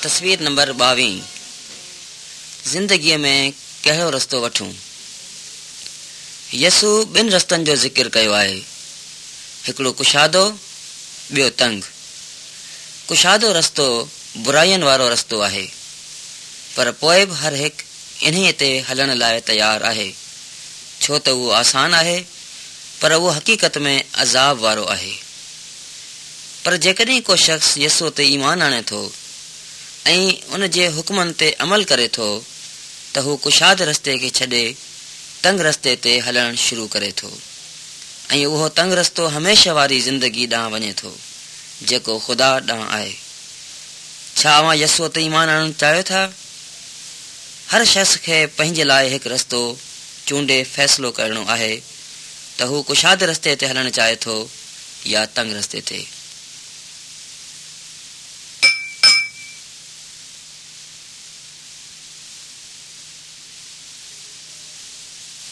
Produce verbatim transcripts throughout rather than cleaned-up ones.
تصوير نمبر ٻاويهه زندگيء ۾ ڪهڙو رستو وٺون؟ يسوع ٻن رستن جو ذڪر ڪيو آهي، هڪڙو ڪشادو، ٻيو تنگ. ڪشادو رستو براين وارو رستو آهي، پر پوء به هر هڪ انهيء تي هلڻ لاء تيار آهي، ڇو ته اهو آسان آهي، پر اهو حقيقت ۾ عذاب وارو آهي. پر جيڪڏهن ڪو شخص يسوع تي ايمان آڻي ٿو ۽ ان جي حڪمن تي عمل ڪري ٿو ته هو ڪشاد رستي کي ڇڏي تنگ رستي تي هلڻ شروع ڪري ٿو ۽ اهو تنگ رستو هميشه واري زندگي ڏانهن وڃي ٿو جيڪو خدا ڏانهن آهي. ڇا اوهان يسوع تي ايمان آڻڻ چاهيو ٿا؟ هر شخص کي پنهنجي لاء هڪ رستو چونڊي فيصلو ڪرڻو آهي ته هو ڪشاد رستي تي هلڻ چاهي ٿو يا تنگ رستي تي.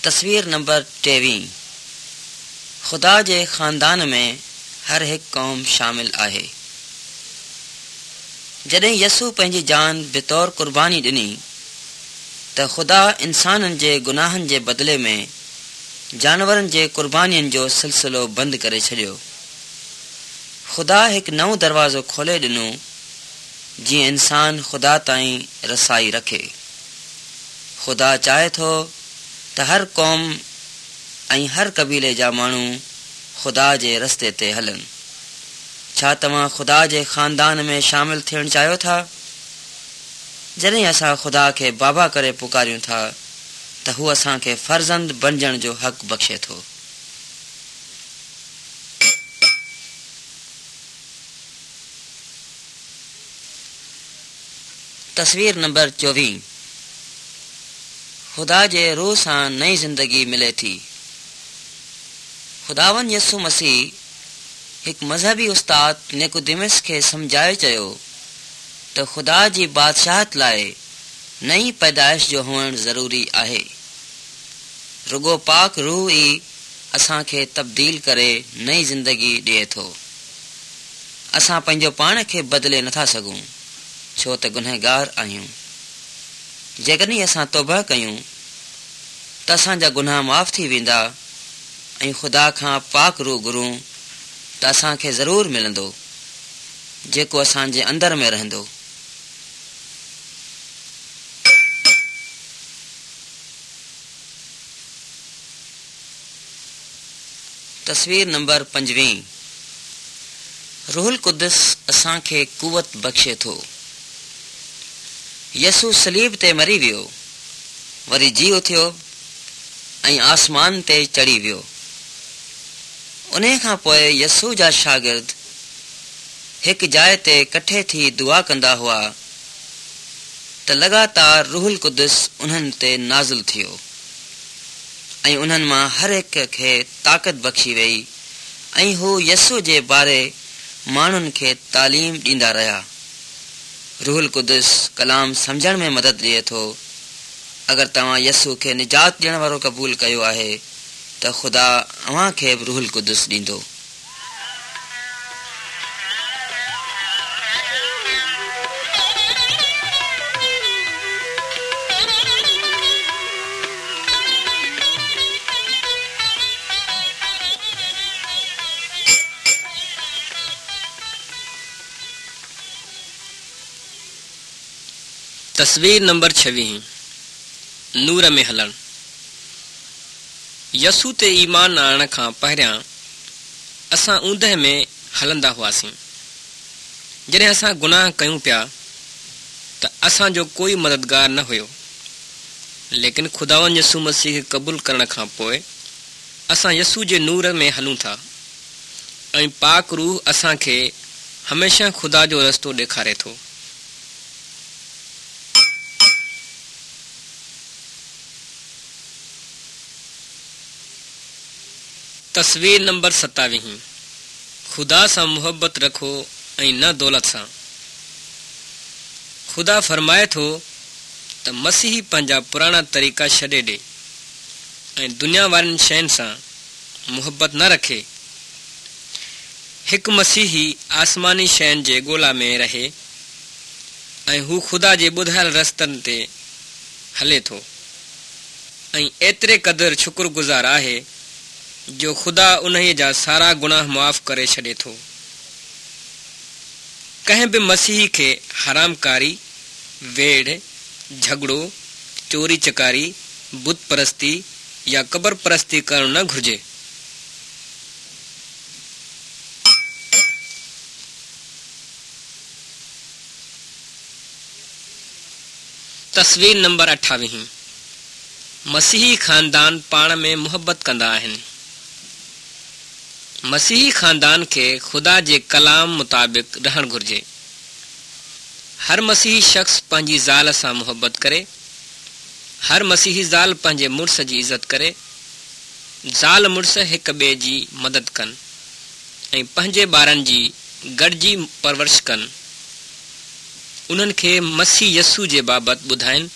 تصوير نمبر ٽيويهه خدا جي خاندان ۾ هر هڪ قوم شامل آهي. جڏهن يسوع پنهنجي جان بطور قرباني ڏني ته خدا انسانن جي گناهن جي بدلي ۾ جانورن جي قربانين جو سلسلو بند ڪري ڇڏيو. خدا هڪ نئون دروازو کولي ڏنو جيئن انسان خدا تائين رسائي رکي. خدا چاهي ٿو ته هر قوم ۽ هر قبيلي جا ماڻهو خدا جي رستي تي هلن. ڇا توهان خدا جي خاندان ۾ شامل ٿيڻ چاهيو ٿا؟ جڏهن اسان خدا کي بابا ڪري پڪاريون ٿا ته هو اسان کي فرزند بڻجڻ جو حق بخشي ٿو. تصوير نمبر چوويهه خدا جي روح سان نئين زندگي ملي ٿي. خداوند يسوع مسيح هڪ مذهبي استاد نيڪوديمس کي سمجهائي چيو ته خدا جي بادشاهت لاء نئين پيدائش جو هئڻ ضروري آهي. رڳو پاڪ روح ئي اسان کي تبديل ڪري نئين زندگي ڏئي ٿو. اسان پنهنجو پاڻ کي بدلي نٿا سگهون، ڇو ته گنهگار آهيون. جيڪڏهن اسان توبه ڪيون ته اسان جا گناهه معاف ٿي ويندا ۽ خدا کان پاڪ روح گهرون ته اسان کي ضرور ملندو، جيڪو اسان جي اندر ۾ رهندو. تصوير نمبر پنجويهه روح القدس اسان کي قوت بخشي ٿو. يسوع صليب تي مري ويو، وري جي اٿيو ۽ آسمان تي چڙهي ويو. انهيء کان پوءِ يسوع جا شاگرد هڪ جاءِ تي ڪٺي ٿي دعا ڪندا هئا ته لڳاتار روح القدس انهن تي نازل ٿيو ۽ انهن مان هر هڪ کي طاقت بخشي وئي ۽ هو يسوع جي باري ماڻهن کي تعليم ڏيندا رهيا. روح القدس ڪلام سمجهڻ ۾ مدد ڏئي ٿو. اگر توهان يسوع کي نجات ڏيڻ وارو قبول ڪيو آهي ته خدا اوهان کي به روح القدس ڏيندو. تصوير نمبر ڇويهه نور ۾ هلڻ. يسوع تي ايمان آڻڻ کان پهريان اسان اوندهه ۾ هلندا هئاسين. جڏهن اسان گناهه ڪيون پيا ته اسان جو ڪوئي مددگار نه هيو، ليڪن خداوند يسوع مسيح کي قبول ڪرڻ کان پوءِ اسان يسوع جي نور ۾ هلون ٿا ۽ پاڪ روح اسان کي هميشه خدا جو رستو ڏيکاري ٿو. تصوير نمبر ستاويهه خدا سان محبت رکو ۽ نه دولت سان. خدا فرمائي ٿو ته مسيحي پنهنجا پراڻا طريقا ڇڏي ڏي ۽ دنيا وارين شين سان محبت نه رکي. هڪ مسيحي آسماني شين جي ڳولا ۾ رهي ۽ هو خدا جي ٻڌايل رستن تي هلي ٿو ۽ ايتري قدر شڪرگذار آهي جو خدا انهيء جا سارا گناهه معاف ڪري ڇڏي ٿو. ڪنهن به مسيحي کي حرامڪاري، ويڙهه، جهڳڙو، چوري چڪاري، بت پرستي يا قبر پرستي ڪرڻ نه گهرجي. تصوير نمبر اٺاويهين مسيحي خاندان پاڻ ۾ محبت ڪندا آهن. مسيحي خاندان کي خدا جي ڪلام مطابق رهڻ گهرجي. هر مسيحي شخص پنهنجي زال سان محبت ڪري. هر مسيحي زال پنهنجي مڙس جي عزت ڪري. زال مڙس هڪ ٻئي جي مدد ڪن ۽ پنهنجي ٻارن جي گڏجي پرورش ڪن. انهن کي مسيح يسوع جي بابت ٻڌائين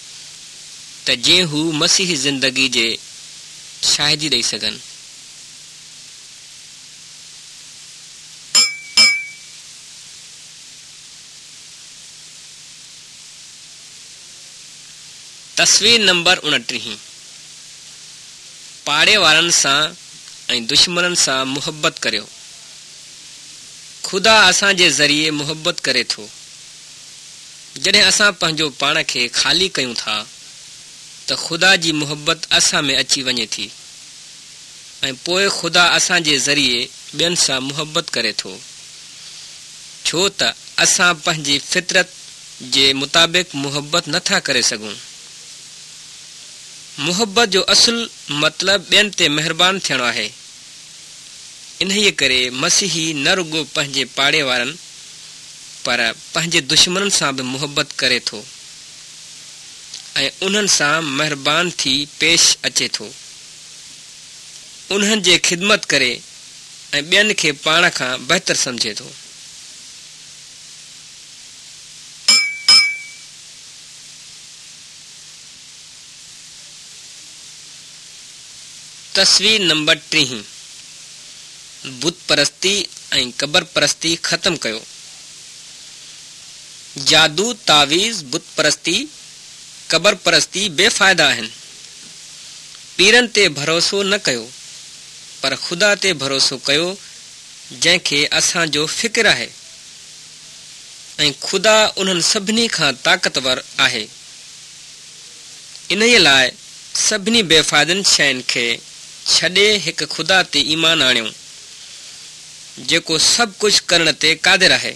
ته جيئن هو مسيحي زندگي جي شاهدي ڏئي سگهن. تصوير نمبر اڻٽيهين پاڙي وارن سان ۽ دشمنن سان محبت ڪريو. خدا اسان جي ذريعي محبت ڪري ٿو. جڏهن اسان پنهنجو پاڻ کي خالي ڪيون ٿا ته خدا جي محبت اسان ۾ اچي وڃي ٿي ۽ پوء خدا اسان جي ذريعي ٻين سان محبت ڪري ٿو، ڇو ته اسان پنهنجي فطرت جي مطابق محبت نٿا ڪري سگهون. محبت جو اصل مطلب ٻين تي مهربان ٿيڻ آهي. انهيء ڪري مسيحي نه رڳو پنهنجي پاڙي وارن پر پنهنجي دشمنن سان به محبت ڪري ٿو ۽ انهن سان مهربان ٿي پيش اچي ٿو. انهن جي خدمت ڪري ۽ ٻين کي پاڻ کان بهتر سمجهي ٿو. تصوير نمبر ٽيهين بت پرستي ۽ قبر پرستي ختم ڪيو. جادو، تعويذ، بت پرستي، قبر پرستي بي فائدا آهن. پيرن تي ڀروسو نه ڪيو، پر خدا تي ڀروسو ڪيو جنهن کي اسان جو فڪر آهي ۽ خدا انهن سڀني کان طاقتور آهي. انهيء لاء سڀني بي فائدن شين کي ڇڏي هڪ خدا تي ايمان آڻيو، جيڪو سڀ ڪجهه ڪرڻ تي قادر آهي.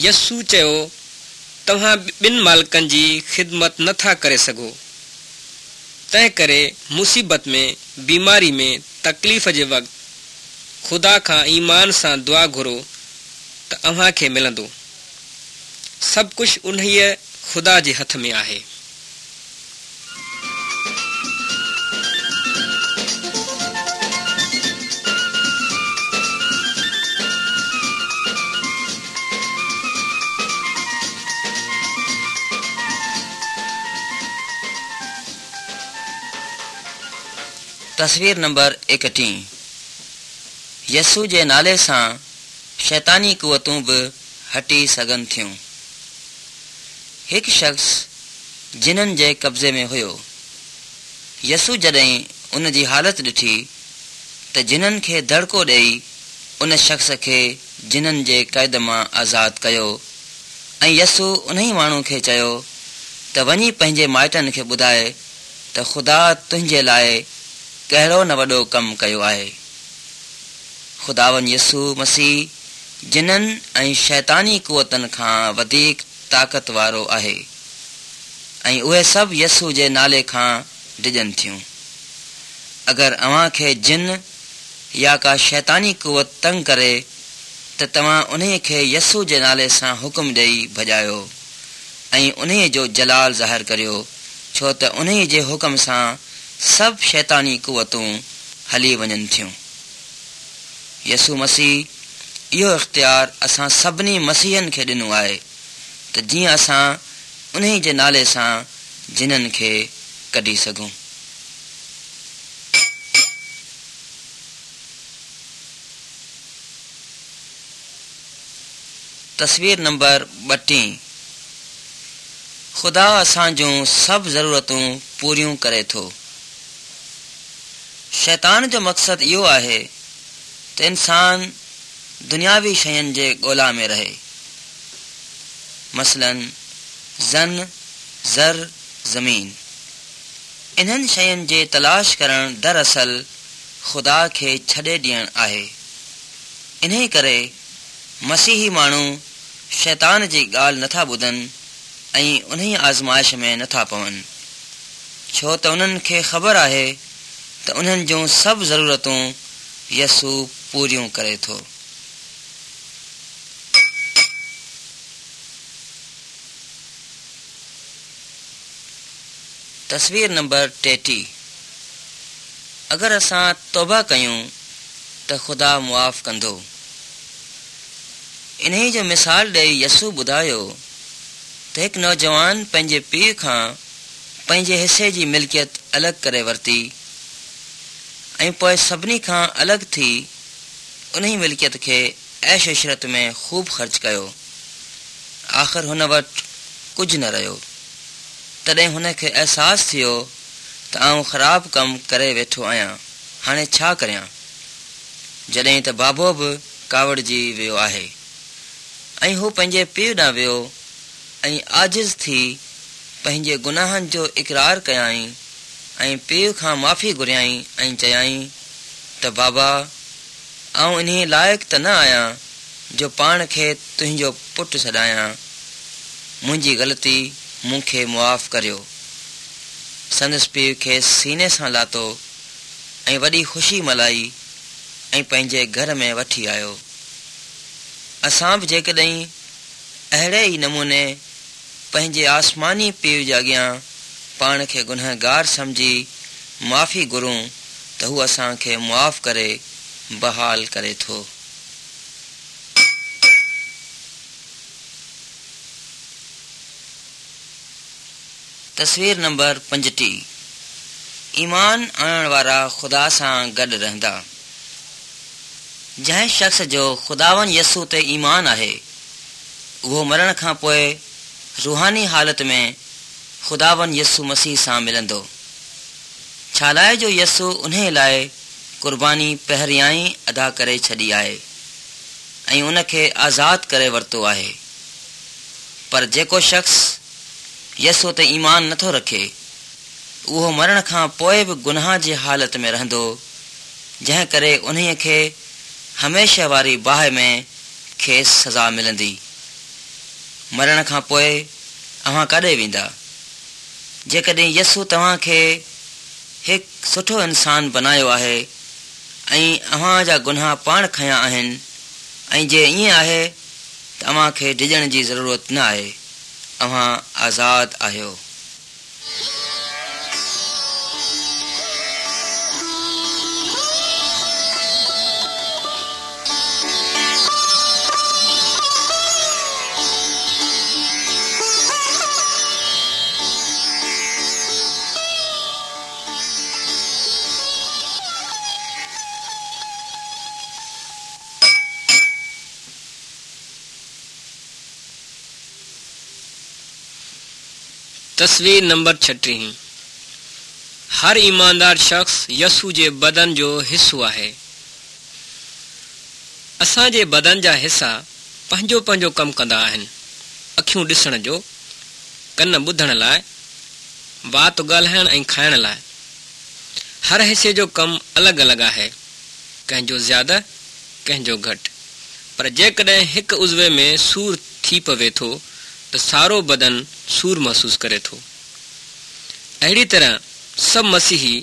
يسوع چيو، توهان ٻن مالڪن جي خدمت نه ٿا ڪري سگهو. تنهنڪري مصيبت ۾، بيماري ۾، تڪليف جي وقت خدا کان ايمان سان دعا گهرو ته اوهان کي ملندو. سڀ ڪجهه انهيء خدا جي هٿ ۾ آهي. تصوير نمبر ايڪٽيهه يسوع جي نالي سان شيطاني قوتون به هٽي سگهن ٿيون. هڪ شخص جنن جي قبضي ۾ هيو. يسوع جڏهن ان جي حالت ڏٺي ته جنن کي دڙڪو ڏيئي ان شخص کي جنن جي قيد مان آزاد ڪيو ۽ يسوع انهي ماڻهو کي چيو ته وڃي پنهنجي مائٽن کي ٻڌاء ته خدا تنهنجي لاء ڪهڙو نه وڏو ڪم ڪيو آهي. خداوند يسوع مسيح جنن ۽ شيطاني قوتن کان وڌيڪ طاقت وارو آهي ۽ اهي سڀ يسوع جي نالي کان ڊڄن ٿيون. اگر اوهان کي جن يا ڪا شيطاني قوت تنگ ڪري ته توهان انهيء کي يسوع جي نالي سان حڪم ڏيئي ڀڄايو ۽ انهيء جو جلال ظاهر ڪريو، ڇو ته انهيء جي حڪم سان سڀ شيطاني قوتون هلي وڃن ٿيون. يسوع مسيح اهو اختيار اسان سڀني مسيحين کي ڏنو آهي ته جيئن اسان انهيء جي نالي سان جنن کي ڪڍي سگهون. تصوير نمبر ٻٽيهه خدا اسان جون سڀ ضرورتون پوريون ڪري ٿو. شيطان جو مقصد اهو آهي ته انسان دنياوي شين جي ڳولا ۾ رهي، مثلاً زن، زر، زمين. انهن شين جي تلاش ڪرڻ دراصل خدا کي ڇڏي ڏيڻ آهي. انهي ڪري مسيحي ماڻهو شيطان جي ڳالهه نٿا ٻڌن ۽ انهي آزمائش ۾ نٿا پون، ڇو ته انهن کي خبر آهي ته انهن جون سڀ ضرورتون يسوع پوريون ڪري ٿو. تصوير نمبر ٽيٽيهه اگر اسان توبه ڪيون ته خدا معاف ڪندو. انهيء جو مثال ڏيئي يسوع ٻڌايو ته هڪ نوجوان پنهنجي پيء کان پنهنجي حصي جي ملڪيت الڳ ڪري ورتي ۽ پوء سڀني کان الڳ ٿي انهي ملڪيت کي عيش عشرت ۾ خوب خرچ ڪيو. آخر هن وٽ ڪجهه نه رهيو. تڏهن هن کي احساس ٿيو ته آئون خراب ڪم ڪري ويٺو آهيان، هاڻي ڇا ڪريان؟ جڏهن ته بابو به ڪاوڙجي ويو آهي. ۽ هو پنهنجي پيء ڏانهن ويو ۽ عاجز ٿي پنهنجي گناهن جو اقرار ڪيائين ۽ پيء کان معافي گهريائين ۽ چيائين ته بابا، آئون انهيء لائق ته نه آهيان جو پاڻ کي تنهنجو پٽ سڏايان. منهنجي غلطي مون کي معاف ڪريو. سندس پيء کيس سيني سان لاتو ۽ وڏي خوشي ملهائي ۽ پنهنجي گهر ۾ وٺي آيو. اسان به جيڪڏهن اهڙي ئي نموني پنهنجي آسماني پيء جي اڳيان پاڻ کي گنهگار سمجهي معافي گهرون ته هو اسان کي معاف ڪري بحال ڪري ٿو. تصوير نمبر پنجٽيهه ايمان آڻڻ وارا خدا سان گڏ رهندا. جنهن شخص جو خداوند يسوع تي ايمان آهي، اهو مرڻ کان پوء روحاني حالت ۾ خداوند يسوع مسيح سان ملندو. ڇالاءِ جو يسوع انهي لاءِ قرباني پهريائين ادا ڪري ڇڏي آهي ۽ ان کي آزاد ڪري ورتو آهي. پر جيڪو شخص يسوع تي ايمان نٿو رکي، اهو مرڻ کان پوءِ به گناهه جي حالت ۾ رهندو، جنهن ڪري انهيءَ کي هميشه واري باهه ۾ کيس سزا ملندي. مرڻ کان پوءِ اوهان ڪاڏي ويندا؟ جيڪڏهن يسوع توهان کي هڪ سٺو انسان بنايو آهي ۽ اوهان جا گناهه پاڻ کنيا آهن، ۽ جي ائين آهي ته اوهان کي ڊڄڻ جي ضرورت نه آهي، اوهان آزاد آهيو. تصوير نمبر ڇٽيهه هر ايماندار شخص يسوع جي بدن جو حصو آهي. اسان جي بدن جا حصا پنهنجو پنهنجو ڪم ڪندا آهن. اکيون ڏسڻ جو، ڪن ٻڌڻ لاءِ، وات ڳالهائڻ ۽ کائڻ لاءِ. هر حصي جو ڪم الڳ الڳ آهي، ڪنهن جو زياده ڪنهن جو گهٽ. پر جيڪڏهن هڪ عضوي ۾ سور ٿي پوي ٿو ته سارو بدن سور محسوس ڪري ٿو. اهڙي طرح سڀ مسيحي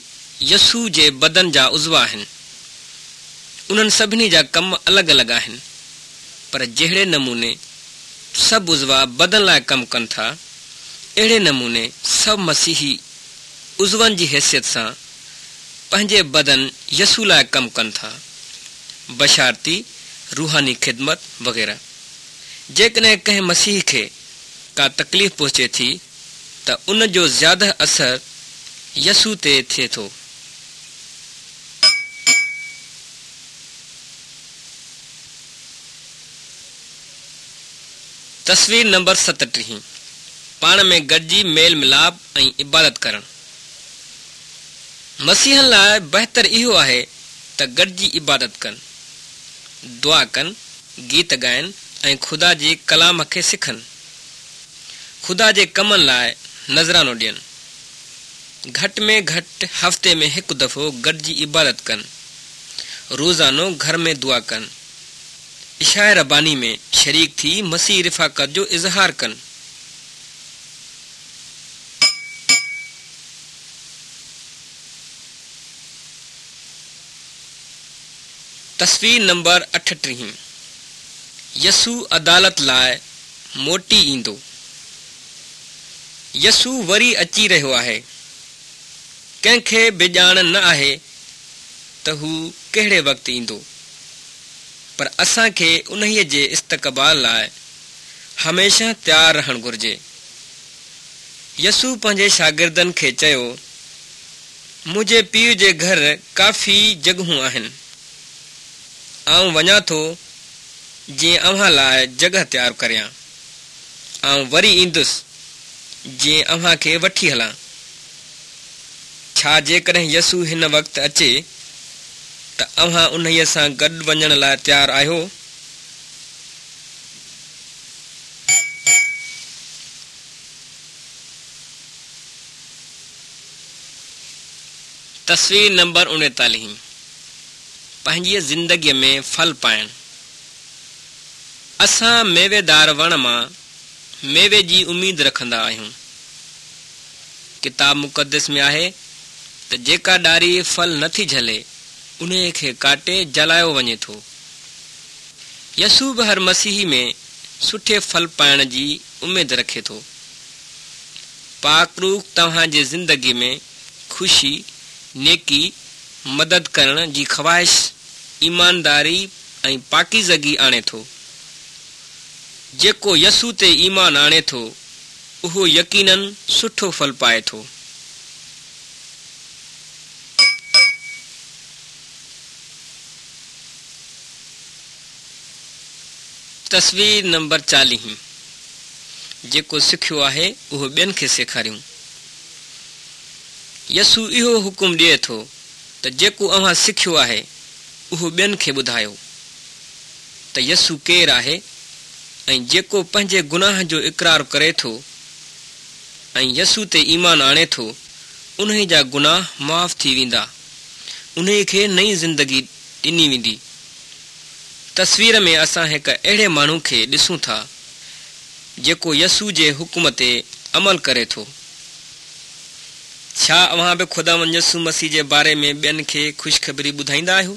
يسوع جي بدن جا عضوا آهن. انهن سڀني جا ڪم الڳ الڳ آهن، پر جهڙي نموني سڀ عضوا بدن لاءِ ڪم ڪن ٿا، اهڙي نموني سڀ مسيحي عضون جي حيثيت سان پنهنجي بدن يسوع لاءِ ڪم ڪن ٿا، بشارتي، روحاني خدمت وغيره. جيڪڏهن ڪنهن مسيح کي ڪا تڪليف پهچي ٿي ته ان جو زياده اثر يسوع تي ٿئي ٿو. تصوير نمبر ستٽيهه پاڻ ۾ گڏجي ميل ميلاپ ۽ عبادت ڪرڻ. مسيحن لاء بهتر اهو آهي ته گڏجي عبادت ڪن، دعا ڪن، گيت ڳائن ۽ خدا جي ڪلام کي سکن. خدا جي ڪمن لاء نذرانو ڏين. گهٽ ۾ گهٽ هفتي ۾ هڪ دفعو گڏجي عبادت ڪن. روزانو گهر ۾ دعا ڪن. عشاء رباني ۾ شريڪ ٿي مسيحي رفاقت جو اظهار ڪن. تصوير نمبر اٺٽيهه يسوع عدالت لاء موٽي ايندو. يسوع وري اچي رهيو آهي. ڪنهن کي به ڄاڻ نه آهي ته هو ڪهڙي وقت ايندو، پر اسان کي انهيء جي استقبال لاء هميشه تيار رهڻ گهرجي. يسوع پنهنجي شاگردن کي چيو، منهنجي پيءُ جي گهر ڪافي جڳهون آهن. آئون وڃان ٿو جيئن اوهان لاء جڳهه تيار ڪريان. آئون وري ايندس جيئن اوهان کي وٺي هلان. ڇا جيڪڏهن يسوع هن وقت اچي ته اوهان انهيء سان گڏ وڃڻ لاء تيار آهيو؟ تصوير نمبر اڻيتاليهه پنهنجيء زندگيء ۾ ڦل پائڻ. اسان ميويدار وڻ مان ميوي جي اميد رکندا آهيون. ڪتاب مقدس ۾ آهي ته جيڪا ڏاري ڦل نٿي جهلي، انهيء کي ڪاٽي جلايو وڃي ٿو. يسوع به هر مسيحي ۾ سٺي ڦل پائڻ جي اميد رکي ٿو. پاڪ روح توهان جي زندگي ۾ خوشي، نيڪي، مدد ڪرڻ جي خواهش، ايمانداري ۽ پاڪيزگي آڻي ٿو. جيڪو يسوع تي ايمان آڻي ٿو، اهو يقينن سٺو ڦل پائي ٿو. تصوير نمبر چاليهه جيڪو سکيو آهي اهو ٻين کي سيکاريون. يسوع اهو حڪم ڏئي ٿو ته جيڪو اوهان سکيو آهي اهو ٻين کي ٻڌايو ته يسوع ڪير آهي ۽ جيڪو پنهنجي گناهه جو اقرار ڪري ٿو ۽ يسوع تي ايمان آڻي ٿو، انهي جا گناهه معاف ٿي ويندا، انهي کي نئين زندگي ڏني ويندي. تصوير ۾ اسان هڪ اهڙي ماڻهو کي ڏسون ٿا جيڪو يسوع جي حڪم تي عمل ڪري ٿو. ڇا اوهان به خداوند يسوع مسيح جي باري ۾ ٻين کي خوشخبري ٻڌائيندا آهيو؟